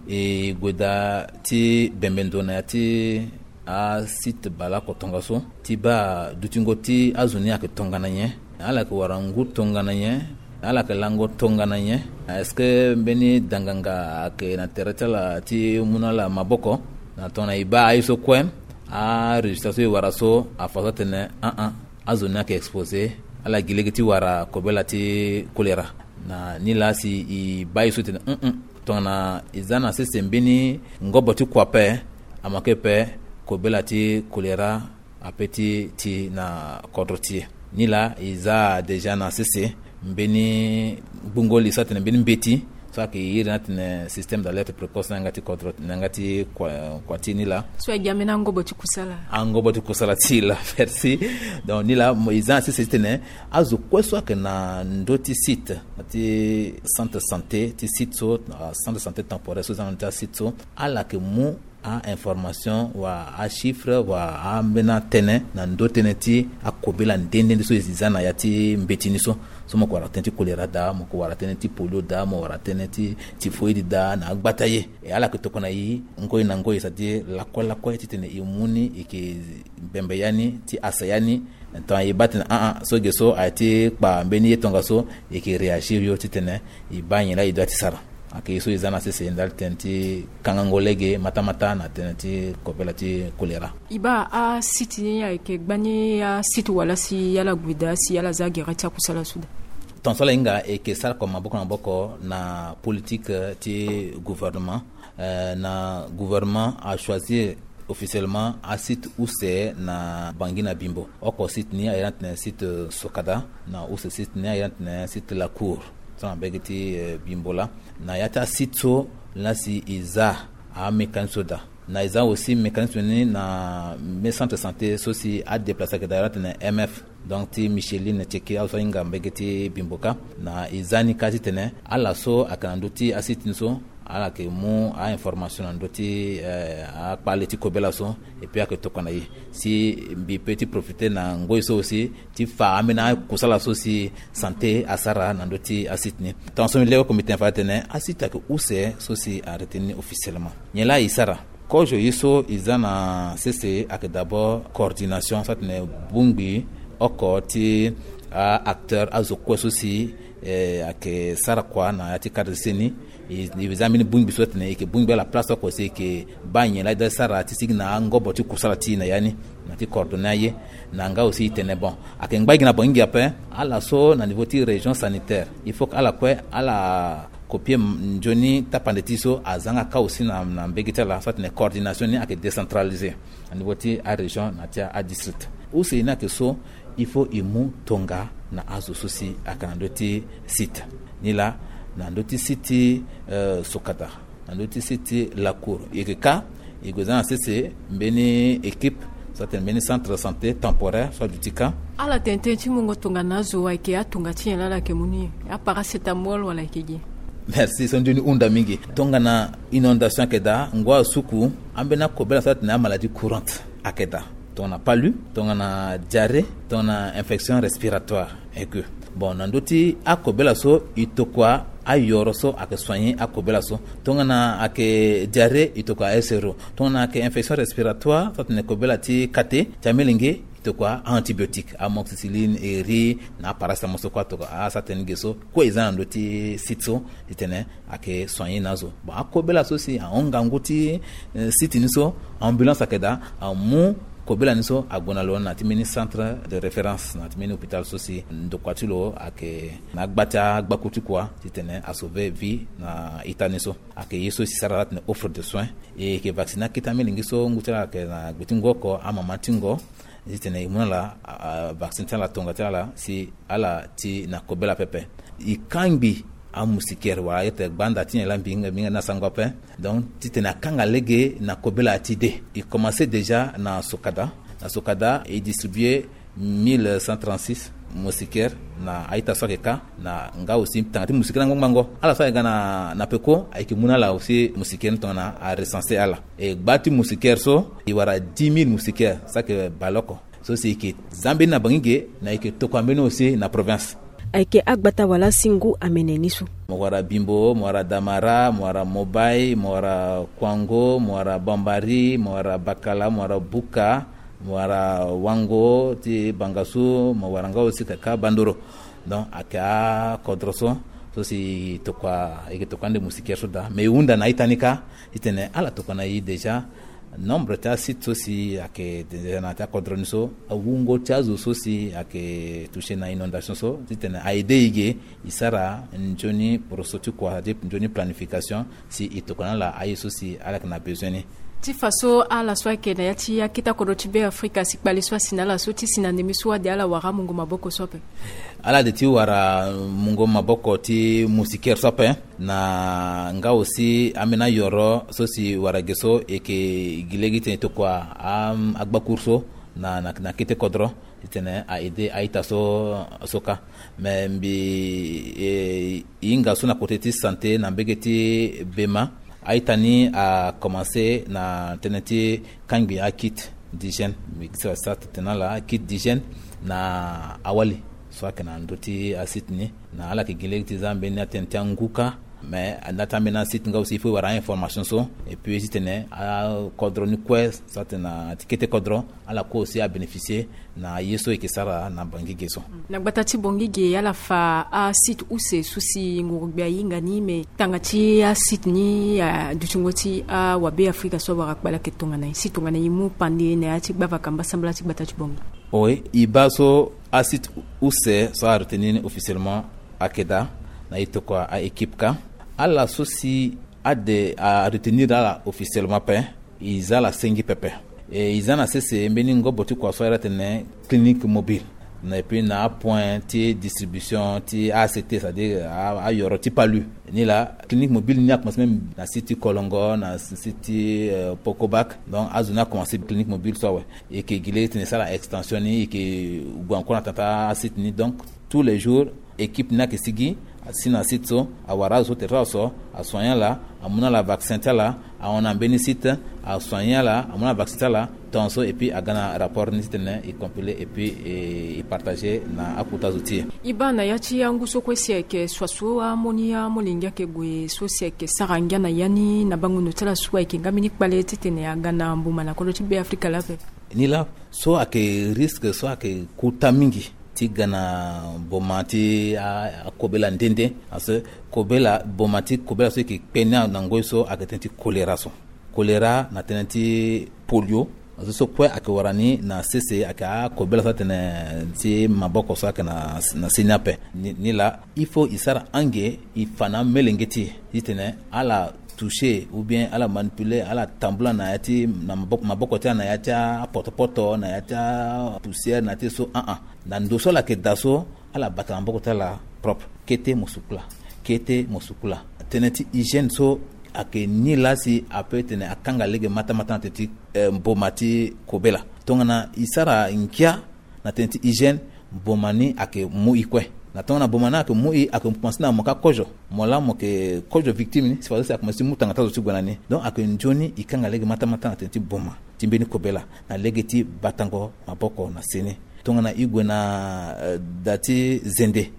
e gue daa ti bembe ndo na ya ti asite baleoko tongaso ti baa dutingo ti azo ni ayeke tongana nyen. Ala yeke wara ngu tongana nyen. Ala yeke lango tongana nyen. Est-ce que mbeni danganga ayeke na tere ti ala ti mu na ala maboko na tongana e baa aye so kue arésultat so e wara so afa so atene aa azo ni ayeke exposé. Ala gi lege ti wara kobela ti choléra. Na ni laa si e baa ye so tene mm tongana e za na sese mbeni ngobo ti kua ape. Amake ape kobela ti choléra ape ti ti na kodro ti e. Ni laa e za déjà na sese mbeni gbungo li so atene mbeni mbeti so ayeke iri ni atene système d'alerte précoce na yanga ti kodro na yanga ti kua ti e ni laa. So e gi ambeni angobo ti kusala. Angobo ti kusala ti e laa. Merci. Donc ni laa e za na sese titene azo kue so ayeke na ndö ti site ti centre santé ti site so centre santé temporaire so e za na ndö ti asite so ala yeke mu a-information wala achiffre wala ambeni atënë na ndö tënë ti akobela nde nde nde so e za na ya ti mbeti ni so. So mo yeke wara tënë ti choléra daa, mo yeke wara tënë ti polio daa, mo wara tënë ti typhoïde daa na agbata ye. E ala yeke tokua na e ngoi na ngoi c'est-à-dire lakue lakue titene e mu ni e yeke bembe ya ni ti asa ya ni. Tongana e baa tene aa so ge so aye ti kpa mbeni ye tongaso e yeke réagir yo titene e baa nyen laa e doit ti sara. Ayeke ye so e za na sese ndali tënë ti kangango lege matamata na tënë ti kobela ti choléra. E baa asite ni ayeke gbani asite wala si ala gue daa si ala za gere ti akusala so daa. Tongaso ala hinga e yeke sara kua maboko na maboko na politique ti gouvernement. Eh, na gouvernement achoisir officiellement asite use na Bangui na Bimbo. Oko site ni aye ni atene site Sokada, na use site ni aye ni atene site La Cour so na mbege ti eh, Bimbo laa. Na ya ti asite so laa si e za amécanisme so daa. Na e za aussi mécanisme ni na mbeni centre santé so si adéplace ayeke daa aye ni atene M F. Donc ti Micheline Tcheke azo so ahinga mbege ti Bimbo kâ. Na e za ni kâ titene ala so ayeke na ndö ti asite ni so ala yeke mu a-information na ndö ti eh, akpale ti kobela so. Et puis ayeke tokua na e si mbi pe ti profiter na ngoi so aussi ti fa ambeni akusala so si santé asara na ndö ti asite ni. Tongaso mbi leke oko mbi tene fa atene asite ayeke use so si arrêté ni officiellement. Nyen laa e sara? Kozo ye so e za na sese ayeke d'abord coordination so atene bongbi oko ti a-acteur azo kue so si eh, ayeke sara kua na ya ti cadre ti seni. E za mbeni bongbi so atene e yeke bongbi ala place oko si e yeke baa nyen laa e doit ti sara ti sigi na angobo ti kusala ti e na ya ni na ti coordonner aye. Na nga aussi e tene bon ayeke ngba gi na bangingi ape. Ala so na niveau ti région sanitaire il faut que ala kue ala copier nzoni tapande ti so aza nga kâ aussi na mbege ti ala so atene coordination ni ayeke décentralisé na niveau ti arégion na ti adistrict. Use ni ayeke so il faut e mu tonga na azo so si ayeke na ndö ti site ni laa na ndö ti site ti eh, Sokada na ndö ti site ti La Cour e yeke kâ. E gue za na sese mbeni équipe so atene mbeni centre santé temporaire so aduti kâ. Ala tene tënë ti mungo tongana azo ayeke atonga ti nyen laa ala yeke mu ni? Aparacétamol wala ayeke ge? Merci, so nzoni hunda mingi. Tongana inondation ayeke daa, ngu asuku, ambeni akobela so atene amaladie courante ayeke daa. Tongana palu, tongana diarrhée, tongana infection respiratoire. Eke, bon, na ndö ti akobela so, e tokua ayoro so ayeke soigner akobela so. Tongana ayeke diarrhée, e tokua S R O. Tongana ayeke infection respiratoire so atene kobela ti kate ti amelenge, e tokua antibiotique, amoxicilline, eri, na aparacétamol so kue atokua. Asara tënë ge so kue e za na ndö ti site so, titene ayeke soigner na azo. Bon, akobela so si ahon ngangu ti, eh, site ni so, ambulance ayeke daa, amu kobela ni so ague na lo na ti mbeni centre de référence, na ti mbeni hôpital so si ndokua ti lo ayeke na agba ti agbaku ti kua, titene asauver vie na ita ni so. Ayeke ye so si sara atene offre de soins. E yeke vacciner akete amelenge so ngu ti ala ayeke na gbe ti ngu oko, amama ti ngo, titene e mu na ala, a, a, vaccin ti ala, tonga ti ala, si ala ti na kobela pepe. E kangbi amoustiquaire, wala e yeke gbanda ti nyen laa, mbi hinga, mbi hinga ni na sango ape. Donc titene akanga lege na kobela ti de. E commencer déjà na Sokada. Na Sokada e distribuer mille cent trente-six moustiquaire na a-ita so ayeke ka, na nga aussi tanga ti moustiquaire angbango. Ala so ayeke ga na, na peko, ayeke mu na ala aussi moustiquaire ni tongana arecenser ala. E gba ti moustiquaire so, e wara dix mille moustiquaire, so ayeke baleoko. So si e yeke za mbeni na Bangi ge, na e yeke tokua mbeni aussi na province. Ayeke agbata wala si ngu amene ni so. Mo wara Bimbo, mo wara Damara, mo wara Mobai, mo wara Kouango, mo wara Bambari, mo wara Bakala, mo wara Bouka, mo wara Wango ti Bangassou, mo wara nga aussi kaka Bandoro. Donc ayeke akodro so, so si e tokua, e yeke tokua ande moustiquaire so daa. Mais e hunda na a-ita ni kâ, titene ala tokua na e déjà. Nombre ti asite so si ayeke déjà na ya ti akodro ni so, awungo ti azo so si ayeke toucher na inondation so, titene a-aider e ge, e sara nzoni poroso ti kua, ti nzoni planification, si e tokua na ala aye so si ala yeke na besoin ni. Ti fa so ala so ayeke na ya ti akete akodro ti Be Afrika si kpale so asi na ala so ti si na ndembe so ade ala wara amungo maboko so ape. Ala de ti wara mungo maboko ti moustiquaire so ape, na nga aussi ambeni ayoro so si wara ge so e yeke gi lege titene e tokua a, agbakuru so na, na, na kete kodro, titene a-aider a-ita so, so kâ. Mais mbi, e, e hinga so na côté ti santé na mbege ti Bema, a-ita ni a commencer na tënë ti kangbi akit d'hygiène. Mbi sara titene ala akit d'hygiène na awali so ayeke na ndö ti asite ni. Na ala yeke gi lege ti za mbeni atënë ti angu kâ. Mais na ya ti ambeni asite nga aussi il faut e wara a-information so. Et puis titene akodro ni kue so atene na ti kete kodro, ala kue aussi abénéficier na ye so e yeke sara na Bangi ge so. Na gbata ti Bangi ge, ala fa asite use so si ngurugbia ahinga ni, me tanga ti asite ni adutingo ti awabe Afrika so awara kpale ayeke tongana nyen? Si tongana e mu pande na ya ti gbavaka mbasambala ti gbata ti Bangi. Oui, e baa so asite use so a retenir ni officiellement ayeke daa, na e tokua a-équipe kâ. Ala so si ade a retenir ala officiellement ape, e za ala sengi pepe. E, e za na sese mbeni ngobo ti kua so a iri atene clinique mobile. Na, et puis na apoint ti distribution ti A C T, c'est-à-dire a, ayoro ti palu. Ni laa, clinique mobile ni a commencé même na site ti Kolongo, na site ti, euh, Pokobak. Donc azo ni a commencé clinique mobile so awe. E yeke gi lege titene e sara extension ni, e yeke gue encore na tanga ti asite ni. Donc tous les jours équipe ni ayeke sigi, asi na site so, awara azo so tere ti ala so, asoigner ala, amu na ala vaccin ti ala, ahon na mbeni site, asoigner ala, amu na ala vaccin ti ala, tongaso, et puis aga na rapport ni titene e compiler et puis e, e partager na akota zo ti e. E baa na ya ti angu so kue si ayeke so aso amolenge, amolenge ayeke gue so si ayeke sara ngia na ya ni na bango ndo ti ala so ayeke nga mbeni kpale titene aga na mboma na kodro ti Be Afrika laa ape. Ni laa so ayeke risque so ayeke kota mingi ti ga na boma ti a, akobela nde nde. Parce que kobela, boma ti kobela so e yeke kpe ni na ngoi so ayeke tënë ti choléra so. Choléra na tënë ti polio. Azo so kue ayeke wara ni na sese, ayeke akobela so atene ti maboko so ayeke na, na seni ape. Ni, ni laa il faut e sara ange, e fa na amelenge ti e titene ala toucher ou bien ala manipuler, ala tambula na ya ti, na maboko, maboko ti ala na ya ti apotopoto, na ya ti apoussière, na ya ti so, ah, ah. Na ndo so ala yeke daa so, ala bata na maboko ti ala propre. Kete mo sukula, kete mo sukula. Tënë ti hygiène so ayeke ni laa si ape tene akanga lege mata mata na tënë ti, eh, mboma ti kobela. Tongana e sara ngia na tënë ti hygiène, mboma ni ayeke mu e kue. Na tongana boma ni ayeke mu e, ayeke komanse na mo ka kozo. Mo laa mo yeke kozo victime ni, si fadeso si akomanse ti mu tanga ti azo ti gue na ni. Donc ayeke nzoni e kanga lege matamata na tënë ti boma ti mbeni kobela na lege ti batango maboko na seni. Tongana e gue na, eh, da ti zende,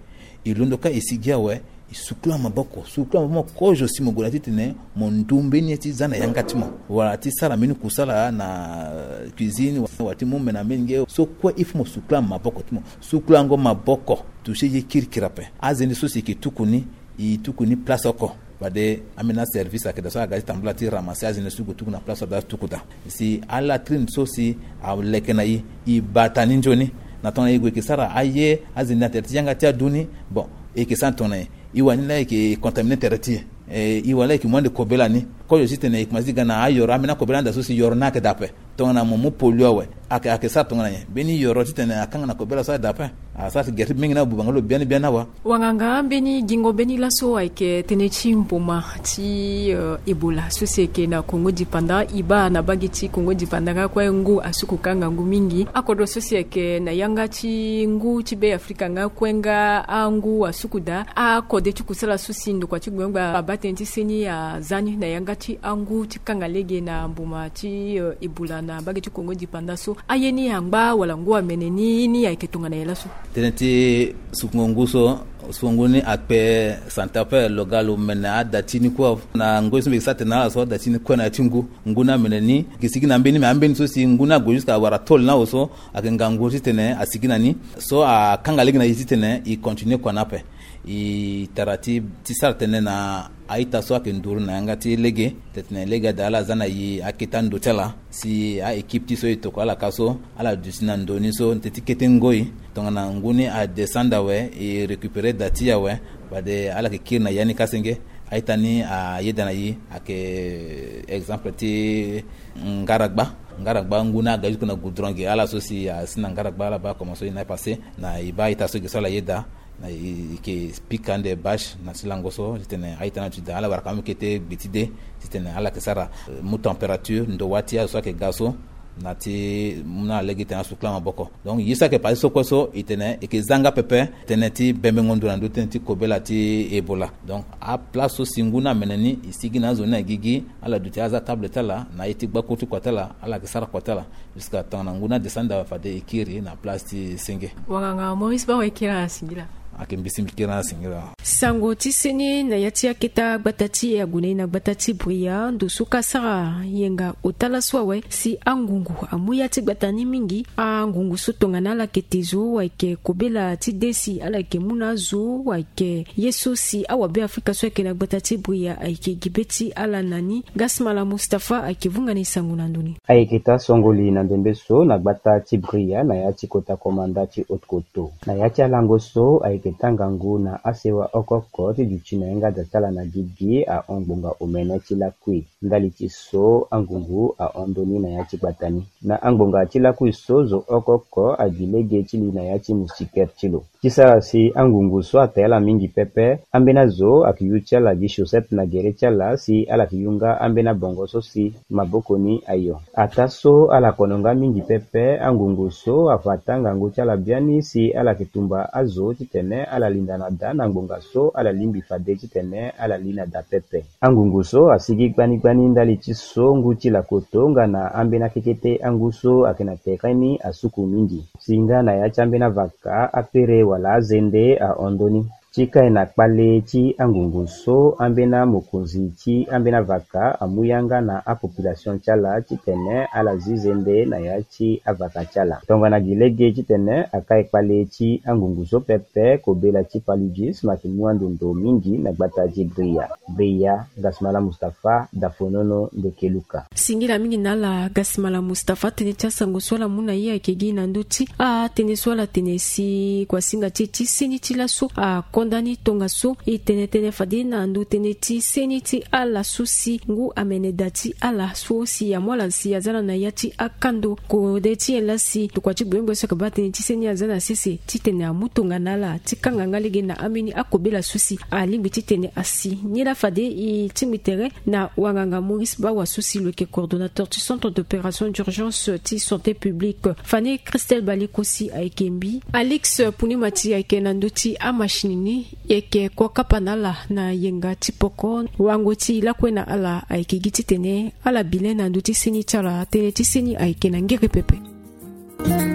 e londo kâ e sigi awe, e sukula maboko, sukula maboko kozo si mo gue na titene mo ndu mbeni ye ti za na yanga ti mo, wala ti sara mbeni kusala na cuisine, wala ti mu mena mbeni nge. So kue il faut mo sukula maboko ti mo. Sukulango maboko, toucher ye kirikiri ape. Azende so si e yeke tuku ni, e tuku ni place oko. Fade ambeni aservice ayeke daa so aga ti tambula ti ramasser azende so gue tuku na place so ada ti tuku daa. Si alatrine so si aleke na e, e bata ni nzoni. Na tongana e gue e yeke sara aye azende na tere ti yanga ti adu ni, bon, e yeke sara tongana nyen? E wani laa e yeke contaminer tere ti e. Eh, e wani laa e yeke mu ande kobela ni. Kozo titene e komanse ti ga na ayoro, ambeni akobela ni daa so si yoro ni ayeke daa ape. Tongana mo mu polio awe, ayeke, ayeke sara tongana nyen? Mbeni yoro titene akanga na kobela so aye daa ape. Asara ti gere ti mingi na abuba nga lo biani biani awa. Wanganga, mbeni gingo mbeni laso ayeke tënë ti mboma ti, eh, Ebola so si ayeke na Kongo Dipanda. E baa na mbage ti Kongo Dipanda nga kue ngu asuku kanga ngu mingi. Akodro so si ayeke na yanga ti ngu ti Be Afrika nga kue nga angu asuku daa. Akode ti kusala so si ndokua ti gbengbe abaa tënë ti seni aza ni na yanga ti angu ti kanga lege na mboma ti, eh, Ebola na mbage ti Kongo Dipanda so. Aye ni angba wala ngu amene ni, ni ayeke tongana nyen laso? Tënë ti sukungo ngu so, sukungo ngu ni akpe centre paix lo ga lo mene ada ti ni kue. Na ngoi so mbi yeke sara tene na ala so, ada ti ni kue na ya ti ngu, ngu ni amene ni. E yeke sigi na ambeni, me ambeni so si ngu ni ague jusqu'à wara tôle ni awe so, ayeke ngangu titene asigi na ni. So akanga lege na e titene e continuer kua ni ape. E tara ti, ti sara tënë na a-ita so ayeke nduru na yanga ti lege, titene lege ada ala za na e akete ando ti ala. Si a-équipe ti so e tokua ala ka so, ala duti na ndo ni so, tënë ti kete ngoi. Tongana ngu ni adescendre awe, e récupérer da ti e awe. Fade ala yeke kiri na ya ni ka senge. A-ita ni ayeda na e, ayeke exemple ti ngaragba. Ngaragba ngu ni aga jusque na goudron ge, ala so si asi na ngaragba, ala baa comment so e na passé. Na e baa a-ita so ge so ala yeda. Na e, e yeke pika ande bâche na ti lango so, titene a-ita ni aduti daa, ala wara ka mu kete gbe ti de, titene ala yeke sara, eh, mu température, ndo wâ ti azo so ayeke ga so, na ti mu na lege titene asukula maboko. Donc ye so ayeke passé so kue so, e tene e yeke za nga pepe tënë ti bembengo ndo na ndö ti tënë ti kobela ti Ebola. Donc aplace so si ngu ni amene ni, e sigi na azo ni na gigi, ala duti aza table ti ala, na ye ti gbakuru ti kua ti ala, ala yeke sara kua ti ala. Jusqu'à tongana ngu ni adescendre awe fade e kiri na place ti senge. Wanganga Maurice Bawa, e kiri na singila. Ayeke mbi si mbi kiri na singila. Sango ti seni na ya ti akete gbata ti e ague na e na gbata ti Bria, ndo so ka sara yenga ota laso awe si angungu amu ya ti gbata ni mingi. Angungu so tongana ala yeke te zo, ayeke kobela ti de si ala yeke mu na azo, ayeke ye so si awabe Afrika so ayeke na gbata ti Bria ayeke gi be ti ala na ni. Gasmala Mustapha ayeke vunga ni sango na ndo ni. Ayeke taa songoli na ndembe so na gbata ti Bria na ya ti kota komanda ti Haute-Kotto. Na ya ti alango so ayeke taa ngangu na asewa oko oko ti duti na yanga da ti ala na gigi ahon ngbonga omene ti lakui. Ndali ti so angungu ahon ndoni na ya ti gbata ni. Na angbonga ti lakui so zo oko oko agi lege ti li na ya ti moustiquaire ti lo. Ti sara si angungu so ata ala mingi pepe, ambeni azo ayeke yu ti ala gi chaussette na gere ti ala si ala yeke yu nga ambeni abongo so si maboko ni ayo. Ataa so ala kono nga mingi pepe, angungu so afa taa ngangu ti ala biani si ala yeke tumba azo titene ala linda na da na ngbonga so ala lingbi fade titene ala li na da pepe. Angungu so asigi gbani gbani ndali ti so ngu ti lakoto nga na ambeni akekete angu so ayeke na tere ni asuku mingi. Si nga na ya ti ambeni avaka, akpere wala azende ahon ndoni. Ti kai na kpale ti angungu so, ambeni amokonzi ti ambeni avaka amu yanga na apopulation ti ala titene ala zi zende na ya ti avaka ti ala. Tongana gi lege titene akai kpale ti angungu so pepe, kobela ti paludisme ayeke mu ando ndo mingi na gbata ti Bria. Bria, Gasmala Mustapha, Dafonono, Ndekeluka. Singila mingi na ala Gasmala Mustapha. Tënë ti asango so ala mu na e ayeke gi na ndö ti atënë so ala tene si kuasinga ti e ti seni ti laso ako Ndani tongaso e tene tënë fade na ndo tënë ti seni ti ala so si ngu amene daa ti ala so si amu ala si aza na na ya ti akando kode ti nyen laa si tokua ti gbengbeng so ayeke baa tënë ti seni aza na sese titene amu tongana ala ti kanga nga lege na ambeni akobela so si alingbi titene asi. Nilaa fade e tingbi tere na wanganga Maurice Bawa so si lo yeke coordonnateur ti centre d'opération d'urgence ti santé publique. Fani Christelle Baliko si ayeke mbi, Alix Punimati ayeke na ndö ti amachine ni. E yeke kua kapa na ala na yenga ti poko. Wango ti lakue na ala ayeke gi titene ala bi le na ndö ti seni ti ala. Tënë ti seni ayeke na ngere pepe.